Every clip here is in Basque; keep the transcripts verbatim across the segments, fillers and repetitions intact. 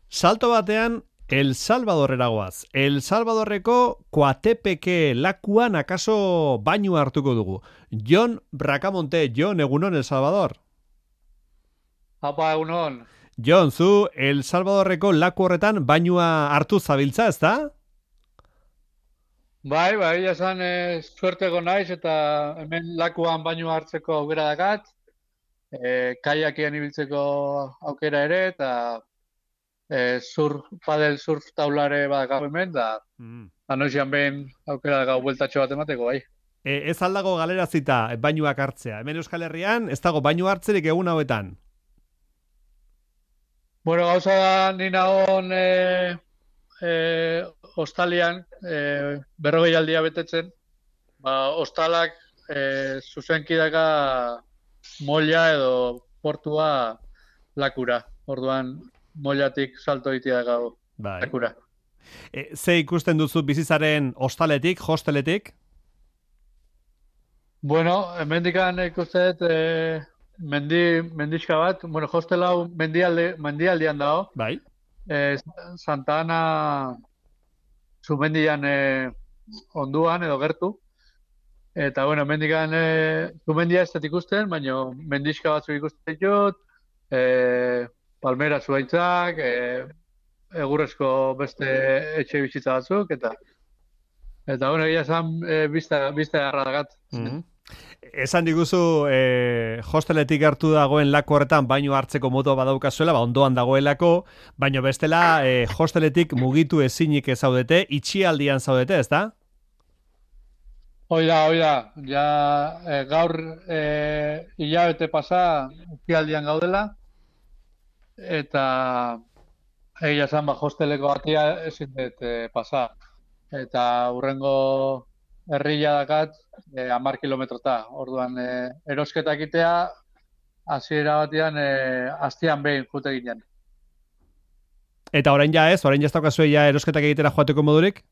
Salto batean, El Salvadorrera goaz. El Salvadorreko Coatepeke lakuan akaso bainu hartuko dugu. Jon Bracamonte, Jon, egunon El Salvador. Apa, egunon. Jon, zu El Salvadorreko laku horretan bainua hartu zabiltza, ezta? Bai, bai, esan e, suerteko naiz eta hemen lakuan baino hartzeko aukera dakat, e, kaiakean ibiltzeko aukera ere, eta e, surf, padel surf taulare badakau hemen, da Mm. anoizian behin aukera dakau bueltatxo bat emateko, bai. E, ez aldago galerazita bainuak hartzea. Hemen Euskal Herrian ez dago bainu hartzerik egun hauetan. Bueno, gauza da, ni nagon e, e, hostalian e, berrogei aldia betetzen, ba, hostalak e, zuzenki daka molla edo portua lakura. Orduan, mollatik salto itia gau Bai. lakura. E, ze ikusten duzu bizizaren hostaletik, hosteletik? Bueno, hemendikan ikusten dut e, mendi, mendixka bat, bueno, hostel hau mendialde, mendialdean dago, Bai. e, Santa Ana zumendian e, onduan edo gertu, eta bueno, hemendikan e, zumendia ez dut ikusten, baina mendixka batzuk ikusten ditut, e, palmera zuaitzak, e, egurrezko beste etxe bizitza batzuk, eta eta bueno, egia esan e, bizta, bizta garra dakat. Mm. Esan diguzu eh, hosteletik hartu dagoen laku horretan baino hartzeko modu badaukazuela, ba ondoan dagoelako, baino bestela eh, hosteletik mugitu ezinik ez zaudete, itxialdian zaudete, ezta? Hoi da, hoi da, ja e, gaur e, hilabete pasa utzialdian gaudela, eta egia esan ba, hosteleko batia ezin dut e, pasa. Eta hurrengo herria dakat e, hamar kilometrota. Orduan e, erosketa egitea hasiera batean e, astean behin jute ginen. Eta orain ja ez, orain ja ez daukazue ja erosketak egitera joateko modurik?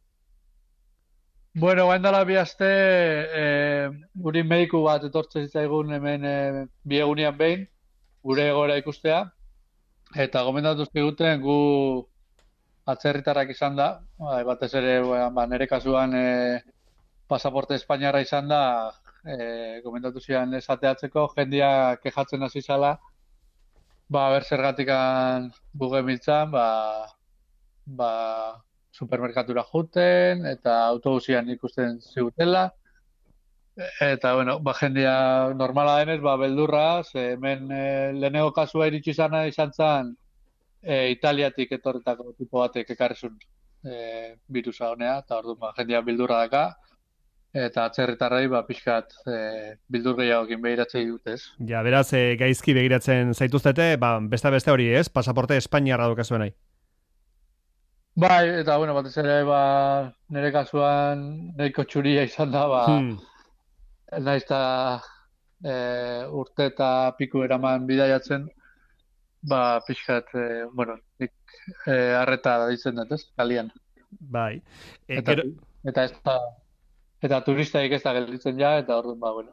Bueno, guain dela bi aste e, guri mediku bat etortzen zitzaigun hemen e, bi egunean behin, gure egoera ikustea, eta gomendatu ziguten gu atzerritarrak izan da, bai, batez ere ba, nire kasuan e, pasaporte espainiarra izan da, e, gomendatu zian esateatzeko, jendia kejatzen hasi zala, ba, ber zergatikan buge miltzan, ba, ba, supermerkatura juten, eta autobusian ikusten zigutela, eta, bueno, ba, jendia normala denez, ba, beldurra, ze hemen e, lehenengo kasua iritsi izana izan zen, e, Italiatik etorretako tipo batek ekarrizun e, virusa honea, eta orduan ba, jendia bildurra daka, eta atzerritarrei ba, pixkat e, bildur gehiagokin behiratzei dutez. Ja, beraz, e, gaizki begiratzen zaituztete, ba, beste beste hori ez, pasaporte espainiarra daukazuen nahi. Bai, eta bueno, batez ere ba, nire kasuan nahiko txuria izan da, ba, Hmm. naiz eta e, urte eta piku eraman bidaiatzen, ba, pixkat, e, bueno, nik e, arreta ditzen dut, ez, kalian. Bai. E, Eta, gero, eta ez da, eta turistaik ez da gelditzen ja, eta orduan, ba, bueno,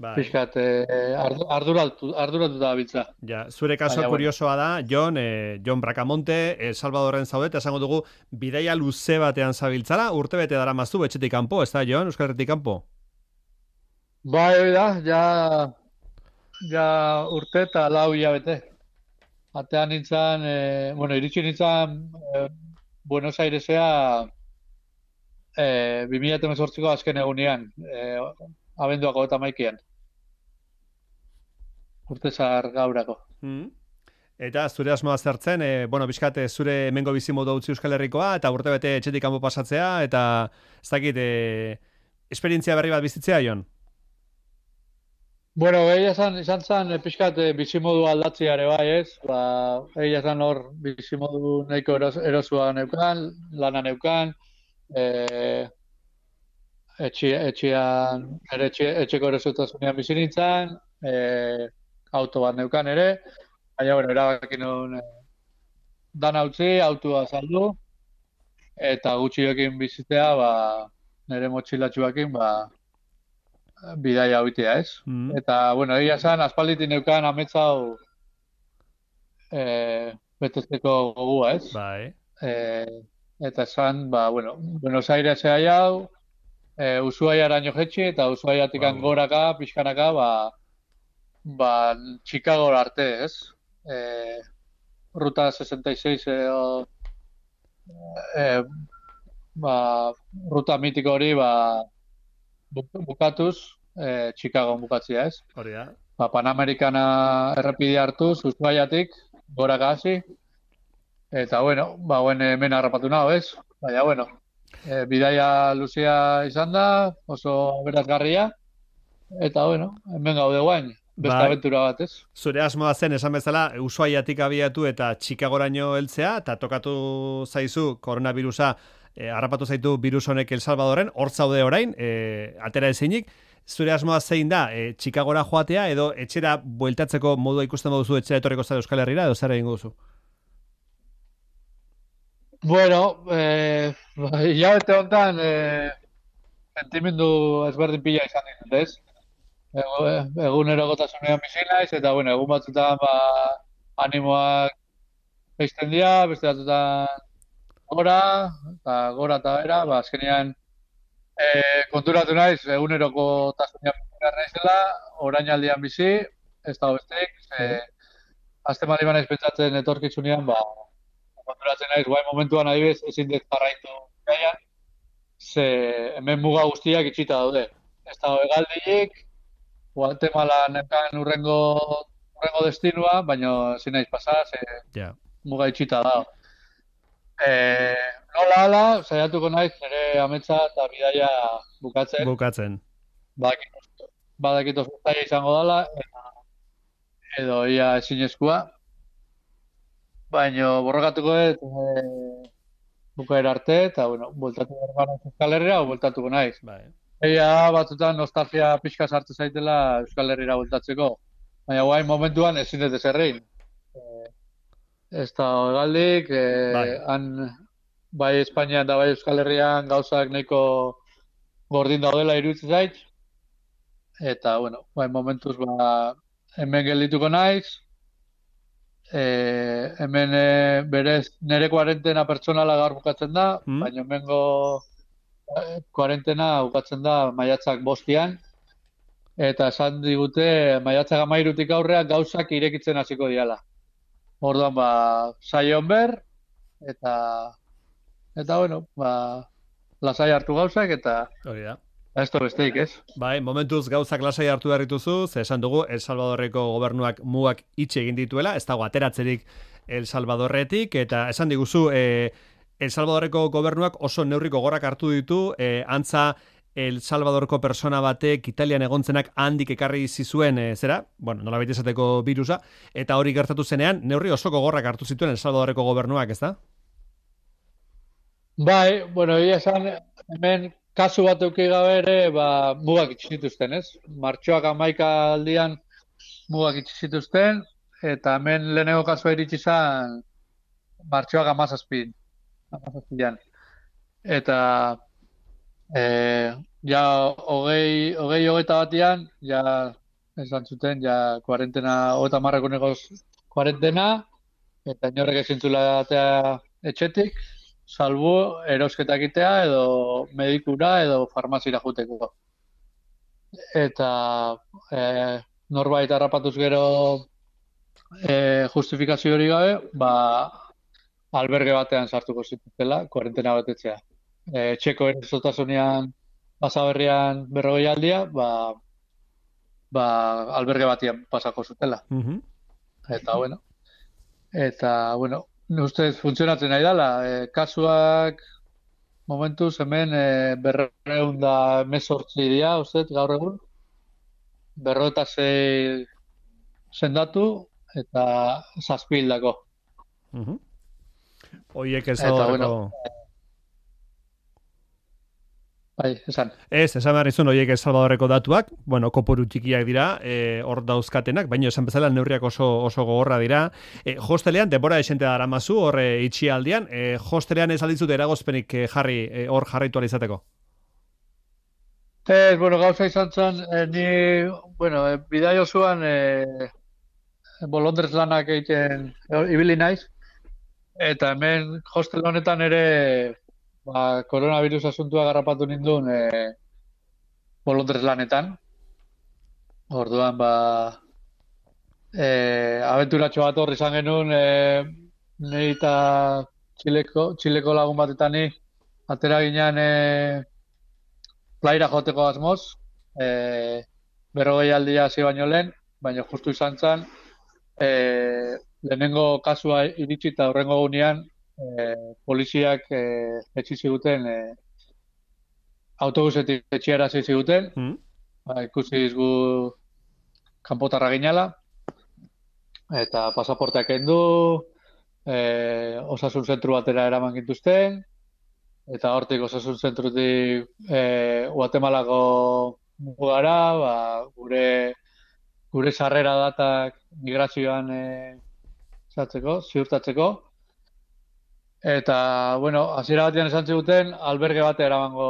bai. pixkat eh, ardu, arduratu, arduratu da biltza. Ja, zure kaso Baina, bueno, kuriosoa da, Jon, eh, Jon Bracamonte, El Salvadorren zaudet, esango dugu, bidaia luze batean zabiltzara, urtebete dara maztu, etxetik kanpo, ez da, Jon, Euskal Herritik kanpo? bai, hori da, ja, ja urte eta lau hilabete. Atean nintzen, eh, bueno, iritsi nintzen eh, Buenos Airesea eh, bi mila hemezortziko azken egunean, eh, abenduako eta maikian, urte zar gaurako. Hmm. Eta zure asmoa zertzen, e, bueno, bizkat, e, zure hemengo bizimodu utzi Euskal Herrikoa, eta urtebete etxetik kanpo pasatzea, eta ez dakit, e, esperientzia berri bat bizitzea, Jon? Bueno, egia esan, izan zen, eh, pixkat eh, bizimodu aldatzea ere bai, ez? Ba, egia esan hor bizimodu nahiko eros, erosua neukan, lana neukan, eh, etxe, etxean, ere etxe, etxeko erosutasunean bizi nintzen, eh, auto bat neukan ere, baina, bueno, erabaki nuen eh, dana utzi, autua saldu, eta gutxiokin bizitzea, ba, nire motxilatxuakin, ba, bidaia hoitea, ez? Hmm. Eta, bueno, egia esan, aspalditik neukan ametsa hau, eh, betetzeko gogua, ez? Bai. E, eta esan, ba, bueno, Buenos Airesea hau, e, Ushuaiaraino jetxi, eta Ushuaiatik Wow. goraka, pixkanaka, ba, ba, Chicago arte, ez? E, Ruta sesenta y seis edo, e, ba, ruta mitiko hori, ba, bukatuz, e, Chicago bukatzia, ez? Hori da. Ba, Panamericana errepide hartuz, Ushuaiatik, goraka hasi, eta, bueno, ba, guen hemen harrapatu nago, ez? Baina, bueno, e, bidaia luzea izan da, oso berazgarria, eta, bueno, hemen gaude guain, beste Bai. aventura bat, ez? Zure asmoa zen, esan bezala, Ushuaiatik abiatu eta Chicagoraino heltzea, eta tokatu zaizu koronavirusa, e, harrapatu zaitu virus honek El Salvadorren, hor zaude orain, e, atera ezinik, zure asmoa zein da, e, Chicagora joatea, edo etxera bueltatzeko modua ikusten baduzu etxera etorriko zara Euskal Herrira, edo zer egingo duzu? Bueno, eh, hilabete honetan, eh, sentimendu ezberdin pila izan ditut, ez? Ego, egunerokotasunean bizi naiz, eta, bueno, egun batzutan, ba, animoak jaisten dira, beste batzutan gora, eta gora eta bera, ba, azkenean, e, konturatu naiz, egunerokotasunean bizi naizela, orainaldian bizi, ez da besteik, e, azte mali banaiz pentsatzen etorkizunean, ba, konturatzen naiz, guai momentuan adibidez, ezin dut jarraitu gaian, ze hemen muga guztiak itxita daude. Ez da hegaldiik, Guatemala nekan urrengo, urrengo destinua, baina ezin naiz pasa, ze Yeah. muga itxita da. E, nola ala, saiatuko naiz, nire ametsa eta bidaia bukatzen. Bukatzen. Badakit oso zaila izango dela, eta edo ia ezinezkoa. Baina borrokatuko dut e, bukaera arte, eta, bueno, bueltatu behar gara Euskal Herrira, o bueltatuko naiz. Bai. Eia batzutan nostalgia pixka sartu zaitela Euskal Herrira bueltatzeko. Baina guain momentuan ezin dut ezerrein. E, ez da hegaldik, e, Bai. han bai Espainian da bai Euskal Herrian gauzak nahiko gordin daudela iruditzen zait. Eta, bueno, guain momentuz ba, hemen geldituko naiz. E, hemen e, berez nire kuarentena pertsonala gaur bukatzen da, Mm. baina hemengo e, kuarentena bukatzen da maiatzak bostian, eta esan digute maiatzak amairutik aurrean gauzak irekitzen hasiko diala. Orduan, ba, saion ber, eta, eta bueno, ba, lasai hartu gauzak, eta Hori da. ez da besteik, ez? Bai, momentuz gauzak lasai hartu behar dituzu, ze esan dugu El Salvadorreko gobernuak mugak itxe egin dituela, ez dago ateratzerik El Salvadorretik, eta esan diguzu, e, El Salvadorreko gobernuak oso neurriko gorak hartu ditu, e, antza El Salvadorko persona batek Italian egontzenak handik ekarri zizuen, e, zera, bueno, nola baita esateko virusa, eta hori gertatu zenean, neurri osoko gorrak hartu zituen El Salvadorreko gobernuak, ez da? Bai, bueno, egia esan, hemen kasu bat eduki gabe ere, ba, mugak itxi zituzten, ez? Martxoak hamaika aldian mugak itxi zituzten, eta hemen lehenengo kasua iritsi zen martxoak hamazazpin, hamazazpian. Eta, e, ja, hogei, hogei hogeita batian, ja, esan zuten, ja, kuarentena, hogeita marreko negoz kuarentena, eta inorrek ezin zuela atea etxetik, salbu erosketa egitea edo medikura edo farmazira juteko. Eta e, norbait harrapatuz gero e, justifikazio hori gabe, ba, alberge batean sartuko zituztela, kuarentena betetzea. E, txeko erizotasunean pasaberrian berrogei aldia, ba, ba, alberge batean pasako zutela. Mhm. Eta, bueno, eta, bueno, ustez funtzionatzen nahi dela. E, kasuak momentuz hemen e, berreun da emezortzi dira, ustez, gaur egun. Berro eta zei sendatu eta zazpi hildako. Mhm. Oiek El Eta, Salvadorreko... bueno, bai, esan. Ez, esan behar izun horiek El Salvadorreko datuak, bueno, kopuru txikiak dira, e, hor dauzkatenak, baina esan bezala neurriak oso, oso gogorra dira. E, hostelean, denbora esente dara mazu, hor e, itxialdian, e, hostelean ez aldizut eragozpenik e, jarri, e, hor jarraitu alizateko. Ez, bueno, gauza izan zen, eh, ni, bueno, e, bidai osoan e, bolondrez lanak egiten e, ibili naiz, Eta hemen hostel honetan ere ba, koronavirus asuntua garrapatu nindun e, bolondrez lanetan. Orduan, ba, e, abenturatxo bat horri izan genuen, e, nahi eta txileko, txileko lagun batetan ni, atera ginean e, plaira joteko asmoz, e, berrogei aldia hasi baino lehen, baina justu izan zen, e, lehenengo kasua iritsi eta horrengo gunean, e, poliziak e, etxi ziguten, e, autobusetik etxiara ziguten, mm. ba, ikusi izgu kanpotarra ginala, eta pasaporteak kendu, e, osasun zentru batera eraman gintuzten, eta hortik osasun zentrutik e, Guatemalako mugara, ba, gure gure sarrera datak migrazioan e, zatzeko, ziurtatzeko. Eta, bueno, hasiera batean esan ziguten, alberge bate eramango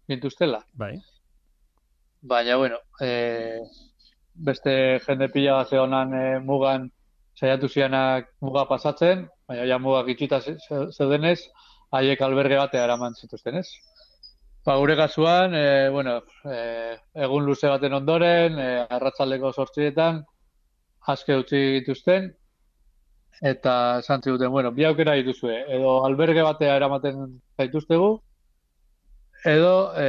gintuztela. Bai. Baina, bueno, e, beste jende pila bat zehonan e, mugan saiatu zianak muga pasatzen, baina ja mugak itxita zeudenez, haiek alberge batea eraman zituzten, ez? Ba, gure kasuan, e, bueno, e, egun luze baten ondoren, e, arratsaldeko zortzietan, aske utzi dituzten, eta esan ziguten, bueno, bi aukera dituzue, edo alberge batea eramaten zaituztegu, edo e,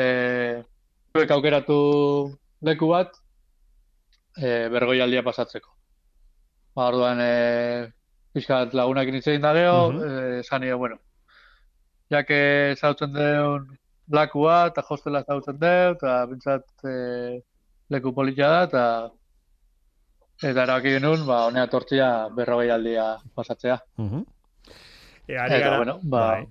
zuek aukeratu leku bat, e, bergoi aldia pasatzeko. Ba, orduan, e, pixkat lagunak initzein da geho, uh -huh. e, esan nio, bueno, jake zautzen deun lakua eta hostela zautzen deu, eta bintzat e, leku politia da, eta eta erabaki genuen, ba, honea tortzia berrogei aldia pasatzea. Uh -huh. e, eta, gara, bueno, ba, bai.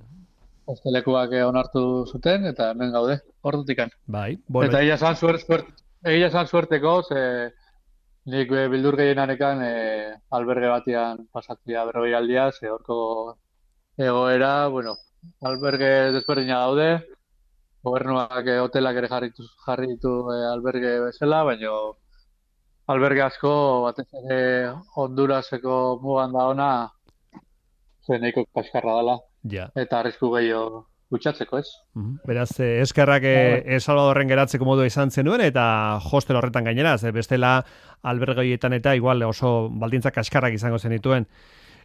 Hostelekuak onartu zuten, eta hemen gaude, ordutikan. Bai, bueno. Eta egia zan suert, suert, egia zan suerteko, ze nik bildur gehienarekan e, alberge batian pasatzea berrogei aldia, ze horko egoera, bueno, alberge desberdina daude, gobernuak e, hotelak ere jarritu, jarritu e, alberge bezala, baina alberge asko batez ere Honduraseko mugan da ona zen nahiko kaskarra dela. Ja. Eta arrisku gehiago gutxatzeko, ez? Uh-huh. Beraz, eh, eskerrak eh, El Salvadorren geratzeko modua izan zenuen, eta hostel horretan gainera, ze bestela albergoietan eta igual oso baldintzak kaskarrak izango zenituen.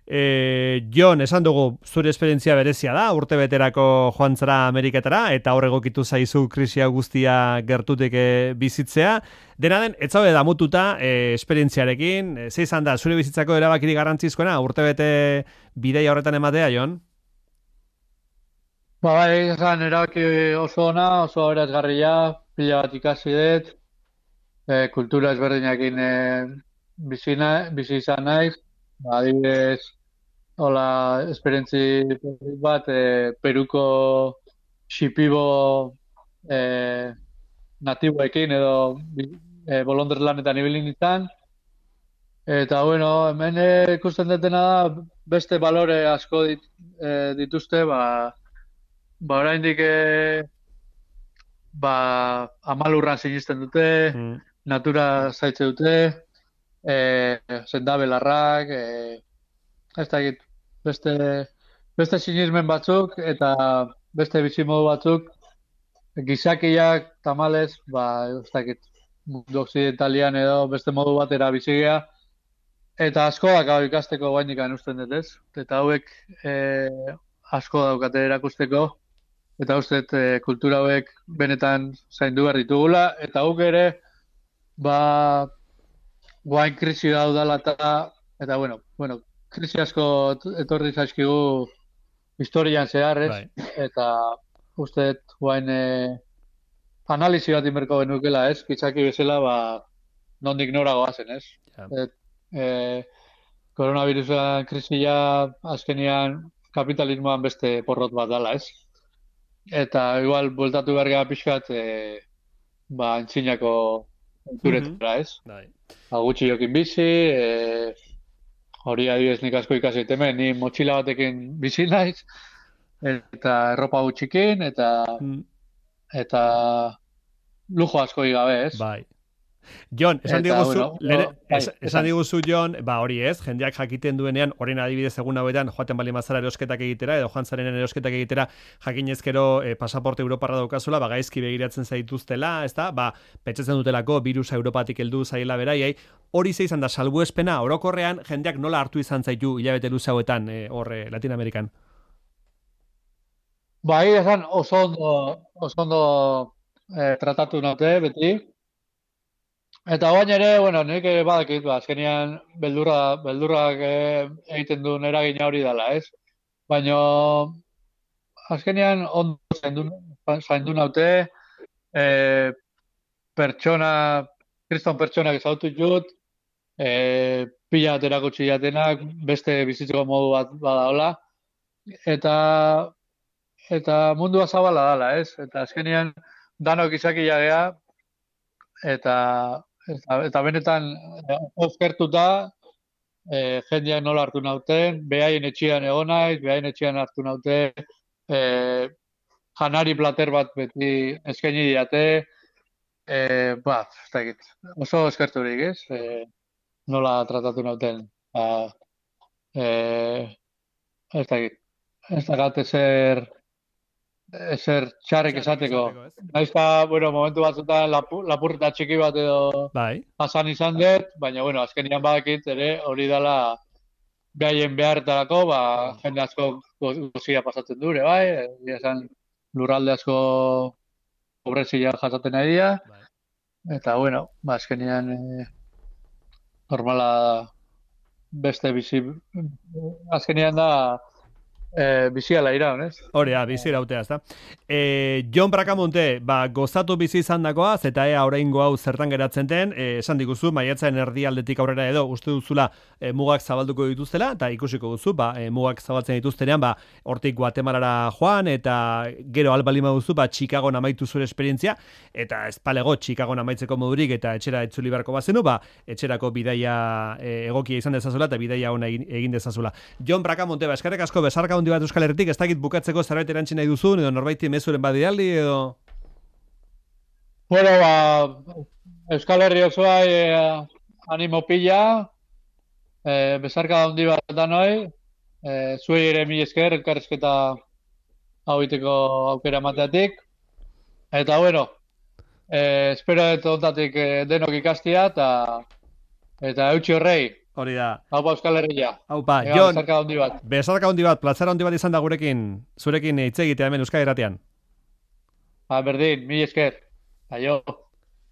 E, Jon, esan dugu, zure esperientzia berezia da, urte beterako joan zara Ameriketara, eta hor egokitu zaizu krisia guztia gertutik e, bizitzea. Dena den, ez zaude damututa e, esperientziarekin, e, ze izan da, zure bizitzako erabakirik garrantzizkoena, urte bete bideia horretan ematea, Jon? Ba, bai, esan, erabaki oso ona, oso aberazgarria, pila bat ikasi dut, e, kultura ezberdinakin e, bizina, bizi izan naiz, ba, adibidez, hola, esperientzi bat, e, Peruko xipibo e, natiboekin edo e, bolondrez lanetan ibili nintzen, eta, bueno, hemen ikusten dutena da, beste balore asko dit, e, dituzte, ba, Ba, oraindik e, ba, amalurran sinisten dute, mm. natura zaitze dute, e, sendabelarrak, e, ez da egit, beste, beste sinismen batzuk eta beste bizimodu batzuk, gizakiak tamalez, ba, ez da egit, mundu oksidentalian edo beste modu batera bizigea, eta asko dakau ikasteko guainik usten dut, ez? Eta hauek e, asko daukate erakusteko, eta uste e, kultura hauek benetan zaindu behar ditugula, eta guk ere, ba, guain krisi daudala eta, eta bueno, bueno, krisi asko etorri zaizkigu historian zehar, ez? Bai. Eta uste guain e, analizi bat inberko genukela, ez? Kitzaki bezala, ba, nondik nora goazen, ez? Ja. Et, e, koronavirusan krisia azkenian kapitalismoan beste porrot bat dala, ez? Eta igual bueltatu behar gara pixkat e, ba, antzinako kulturetara, ez? Bai. Ba, gutxi jokin bizi, e, hori adibidez nik asko ikasi hemen, ni motxila batekin bizi naiz, eta erropa gutxikin, eta mm. eta lujo asko gabe, ez? Bai. Jon, esan Eta, diguzu, bueno, lehen, no, bai, es, esan esan. diguzu, Jon, ba hori ez, jendeak jakiten duenean, orain adibidez egun hauetan, joaten bali mazara erosketak egitera, edo joan zarenen erosketak egitera, jakinezkero eh, pasaporte Europarra daukazula, ba gaizki begiratzen zaituztela, ezta? Ba, pentsatzen dutelako virusa Europatik heldu zaiela beraiei, hori ze izan da salbuespena, orokorrean jendeak nola hartu izan zaitu hilabete luze hauetan, eh, hor eh, Latin Amerikan. Bai, esan oso ondo, oso ondo eh, tratatu naute, beti. Eta oain ere, bueno, nik ere badakit, ba, azkenean beldurra, beldurrak eh, egiten duen eragina hori dela, ez? Baina azkenean ondo zaindu, zaindu naute, eh, pertsona, kriston pertsonak ezagutu jut, eh, pila bat erakutsi jatenak, beste bizitzeko modu bat badaola, eta eta mundua zabala dala, ez? Eta azkenean danok izakia gea, eta eta, eta benetan oskertuta eh, jendeak nola hartu nauten, behaien etxean egon naiz, behaien etxean hartu naute, eh, janari plater bat beti eskaini diate, eh, ba, ez dakit, oso eskerturik, ez? Eh, nola tratatu nauten. Ba, eh, ez dakit, ez dakit ezer, ezer txarrek esateko. Naizta, bueno, momentu batzutan lapu, lapurreta txiki bat edo Bai. pasan izan dut, baina, bueno, azkenian badakit ere hori dela behaien beharretarako, ba, jende asko gozia pasatzen dure, bai, egia esan lurralde asko pobrezia jasaten nahi dira, Bai. eta, bueno, ba, azkenian eh, normala beste bizi, azkenian da eh, biziala iraun, ez? Hori, ah, bizi irautea, ezta? Eh, Jon Bracamonte, ba, gozatu bizi izan dakoaz, eta ea oraingo hau zertan geratzen den, eh, esan diguzu, maiatzaren erdialdetik aurrera edo, uste duzula eh, mugak zabalduko dituztela, eta ikusiko duzu, ba, eh, mugak zabaltzen dituztenean, ba, hortik Guatemalara joan, eta gero albalima duzu, ba, Chicagon amaitu zure esperientzia, eta espalego Chicagon amaitzeko modurik, eta etxera etzuli beharko bazenu, ba, etxerako bidaia eh, egokia izan dezazula, eta bidaia ona egin, egin dezazula. Jon Bracamonte, ba, eskerrik asko, besarka handi bat Euskal Herritik, ez dakit bukatzeko zerbait erantzi nahi duzun, edo norbaiti mezuren badialdi, edo... Bueno, ba, Euskal Herri osoa eh, animo pila, eh, besarka handi bat danoi, eh, zuei ere mil esker, elkarrezketa hau iteko aukera mateatik, eta bueno, eh, espero dut ontatik eh, denok ikastia, eta eta eutxi horrei, Hori da. haupa Euskal Herria. Haupa, Ega, Jon, besarka handi bat. besarka handi bat, platzara handi bat izan da gurekin, zurekin hitz egitea hemen Euskal Irratian. Ba, berdin, mil esker. Aio.